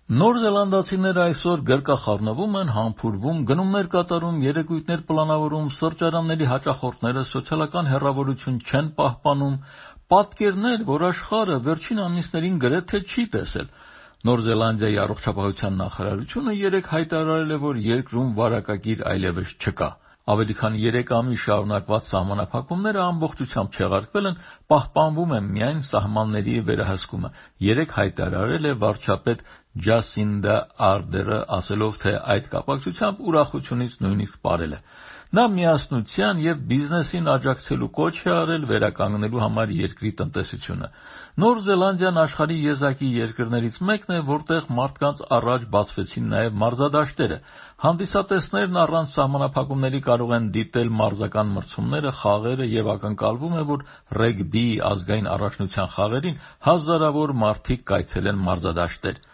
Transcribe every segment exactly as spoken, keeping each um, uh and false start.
Նոր զելանդացիները այսօր գրկախառնվում են, համբուրվում, գնումներ կատարում, երեկույթներ պլանավորում, սրճարանների հաճախորդները սոցիալական հեռավորություն չեն պահպանում, պատկերներ, որ աշխարհը վերջին ամիսներին գրեթե չի տեսել։ Նոր Զելանդիայի առողջապահության նախարարությունը երեկ հայտարարել է, որ երկրում վարակագիր այլևս չկա։ Ավելի քան երեք ամիս շարունակված սահմանափակումները ամբողջությամբ չեղարկվել են, պահպանվում է միայն սահմանների վերահսկումը։ Երեկ հայտարարել է վարչապետ Ջասինդա Արդերը, ասելով, թե այդ կապակցությամբ ուրախությունից նույնիսկ պարել է։ Նա միասնության և բիզնեսին աջակցելու կոչ է արել վերականգնելու համար երկրի տնտեսությունը։ Նոր Զելանդիան աշխարհի եզակի երկրներից մեկն է, որտեղ մարդկանց առաջ բացվեցին նաև մարզադաշտերը։ Հանդիսատեսներն առանց սահմանափակումների կարող են դիտել մարզական մրցումները, խաղերը և ակնկալվում է, որ ռեգբիի ազգային առաջնության խաղերին հազարավոր մարդիկ կայցելեն մարզադաշտեր։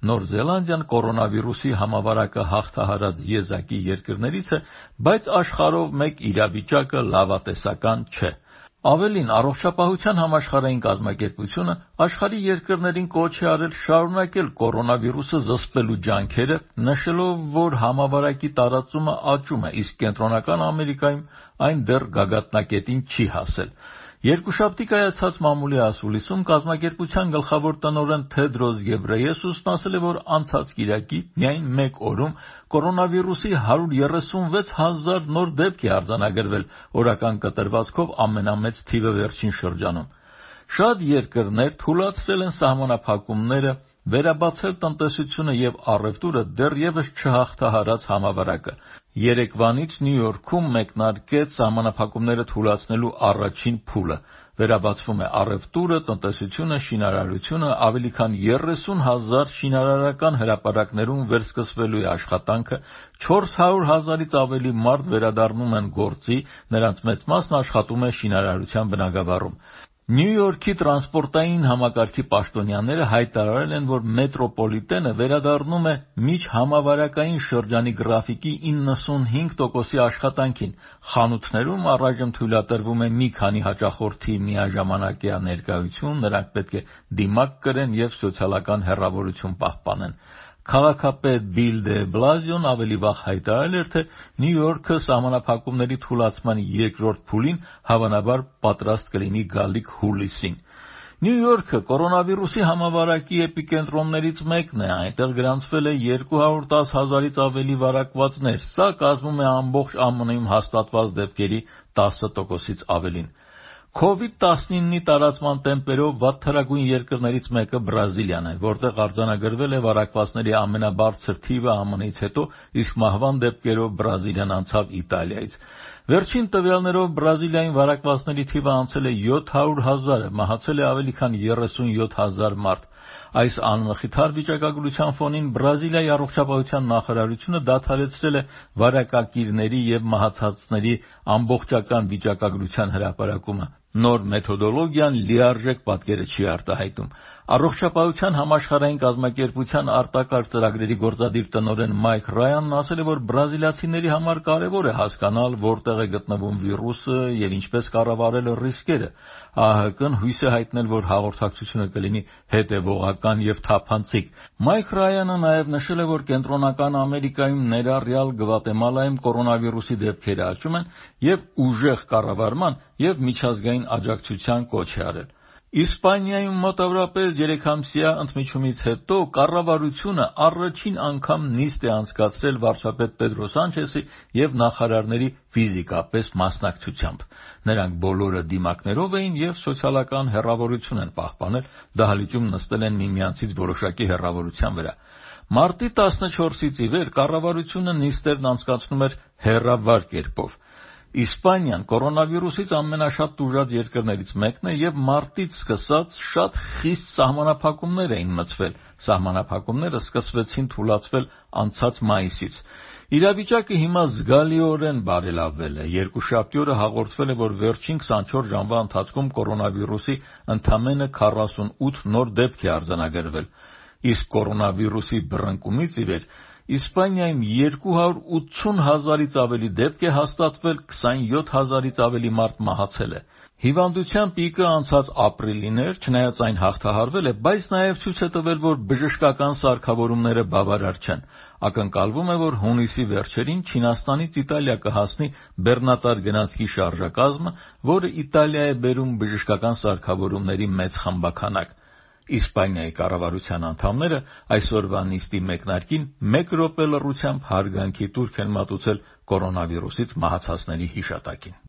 Նոր Զելանդիան կորոնավիրուսի համավարակը հաղթահարած եզակի երկրներից է, բայց աշխարհով մեկ իրավիճակը լավատեսական չէ։ Ավելին, Առողջապահության համաշխարհային կազմակերպությունը աշխարհի երկրներին կոչ է արել շարունակել կորոնավիրուսը զսպելու ջանքերը, նշելով, որ համավարակի տարածումը աճում է, իսկ Կենտրոնական Ամերիկայում այն դեռ գագաթնակետին չի հասել։ Երկուշաբթի կայացած մամուլի ասուլիսում կազմակերպության գլխավոր տնօրեն Թեդրոս Գեբրեյեսուսն ասել է, որ անցած կիրակի միայն մեկ օրում կորոնավիրուսի հարյուր երեսունվեց հազար նոր դեպք է արձանագրվել, օրական կտրվածքով ամենամեծ թիվը վերջին շրջանում։ Շատ երկրներ թույլատրել են սահմանափակումները, վերաբացել տնտեսությունը և առևտուրը դեռևս չհաղթահարած համավարակը։ Երեկվանից Նյու Յորքում մեկնարկեց սահմանափակումները թույլատրելու առաջին փուլը։ Վերաբացվում է առևտուրը, տնտեսությունը, շինարարությունը, ավելի քան երեսուն հազար շինարարական հրապարակներում վերսկսվելու է աշխատանքը, չորս հարյուր հազարից ավելի մարդ վերադառնում են գործի, նրանց մեծ մասն աշխատում է շինարարության բնագավառում։ Նյու Յորքի տրանսպորտային համակարգի պաշտոնյաները հայտարարել են, որ մետրոպոլիտենը վերադառնում է միջհամավարակային շրջանի գրաֆիկի իննսունհինգ տոկոսի աշխատանքին։ Խանութներում առայժմ թույլատրվում է մի քանի հաճախորդի միաժամանակյա ներկայություն, նրանք պետք է դիմակ կրեն և սոցիալական հեռավորություն պահպանեն։ Քաղաքապետ Բիլ դե Բլազիոն ավելի վաղ հայտարարել էր, թե Նյու Յորքը սահմանափակումների թույլատման երկրորդ փուլին հավանաբար պատրաստ կլինի գալիք հուլիսին։ Նյու Յորքը կորոնավիրուսի համավարակի էպիկենտրոններից մեկն է, այնտեղ գրանցվել է երկու հարյուր տասը հազարից ավելի վարակվածներ, սա կազմում է ամբողջ ԱՄՆ-ում հաստատված դեպքերի տասը տոկոսից ավելին։ քովիդ տասնիննի տարածման տեմպերով վատթարագույն երկրներից մեկը Բրազիլիան է, որտեղ արձանագրվել է վարակվածների ամենաբարձր թիվը ԱՄՆ-ից հետո, իսկ մահվան դեպքերով Բրազիլիան անցավ Իտալիայից։ Վերջին տվյալներով Բրազիլիայում վարակվածների թիվը անցել է յոթ հարյուր հազարը, մահացել է ավելի քան երեսունյոթ հազար մարդ։ Այս անմխիթար վիճակագրության ֆոնին Բրազիլիայի առողջապահության նախարարությունը դադարեցրել է վարակակիրների և մահացածների ամբողջական վիճակագրության հրապարակումը։ Նոր մեթոդոլոգիան լիարժեք պատկերը չի արտահայտում։ Առողջապահության համաշխարհային կազմակերպության արտակարգ ծրագրերի գործադիր տնօրեն Մայք Ռայանն ասել է, որ բրազիլացիների համար կարևոր է հասկանալ, որտեղ է գտնվում վիրուսը և ինչպես կառավարել ռիսկերը։ ԱՀԿ-ն հույս է հայտնել, որ հաղորդակցությունը կլինի հետևողական և թափանցիկ։ Մայք Ռայանը նաև նշել է, որ Կենտրոնական Ամերիկայում, ներառյալ Գվատեմալայում կորոնավիրուսի դեպքերը աճում են և ուժեղ կառավարման և միջազգային աջակցության կոչ է արել։ Իսպանիայում մոտավորապես երեքամսյա ընդմիջումից հետո կառավարությունը առաջին անգամ նիստ է անցկացրել վարչապետ Պեդրո Սանչեսի և նախարարների ֆիզիկապես մասնակցությամբ։ Նրանք բոլորը դիմակներով էին և սոցիալական հեռավորություն են պահպանել, դահլիճում նստել են միմյանցից որոշակի հեռավորության վրա։ Մարտի տասնչորսից ի վեր կառավարությունը նիստերն անցկացնում էր հեռավար կերպով։ Իսպանիան կորոնավիրուսից ամենաշատ տուժած երկրներից մեկն է և մարտից սկսած շատ խիստ սահմանափակումներ էին մտցվել։ Սահմանափակումները սկսվեցին թույլատրվել անցած մայիսից։ Իրավիճակը հիմա զգալիորեն բարելավվել է։ Երկուշաբթի օրը հաղորդվել է, որ վերջին քսանչորս ժամվա ընթացքում կորոնավիրուսի ընդամենը քառասունութ նոր դեպք է արձանագրվել, իսկ կորոնավիրուսի բռնկումից ի վեր Իսպանիայում երկու հարյուր ութսուն հազարից ավելի դեպք է հաստատվել, քսանյոթ հազարից ավելի մարդ մահացել է։ Հիվանդության պիկը անցած ապրիլին էր, չնայած այն հաղթահարվել է, բայց նաև ցույց է տվել, որ բժշկական սարքավորումները բավարար չեն։ Ակնկալվում է, որ հունիսի վերջերին Չինաստանից Իտալիա կհասնի բեռնատար գնացքի շարժակազմը, որը Իտալիա է բերում բժշկական սարքավորումների մեծ խմբաքանակ։ Իսպանիայի կառավարության անդամները այսօրվա նիստի մեկնարկին մեկ րոպե լռությամբ հարգանքի տուրք են մատուցել կորոնավիրուսից մահացածների հիշատակին։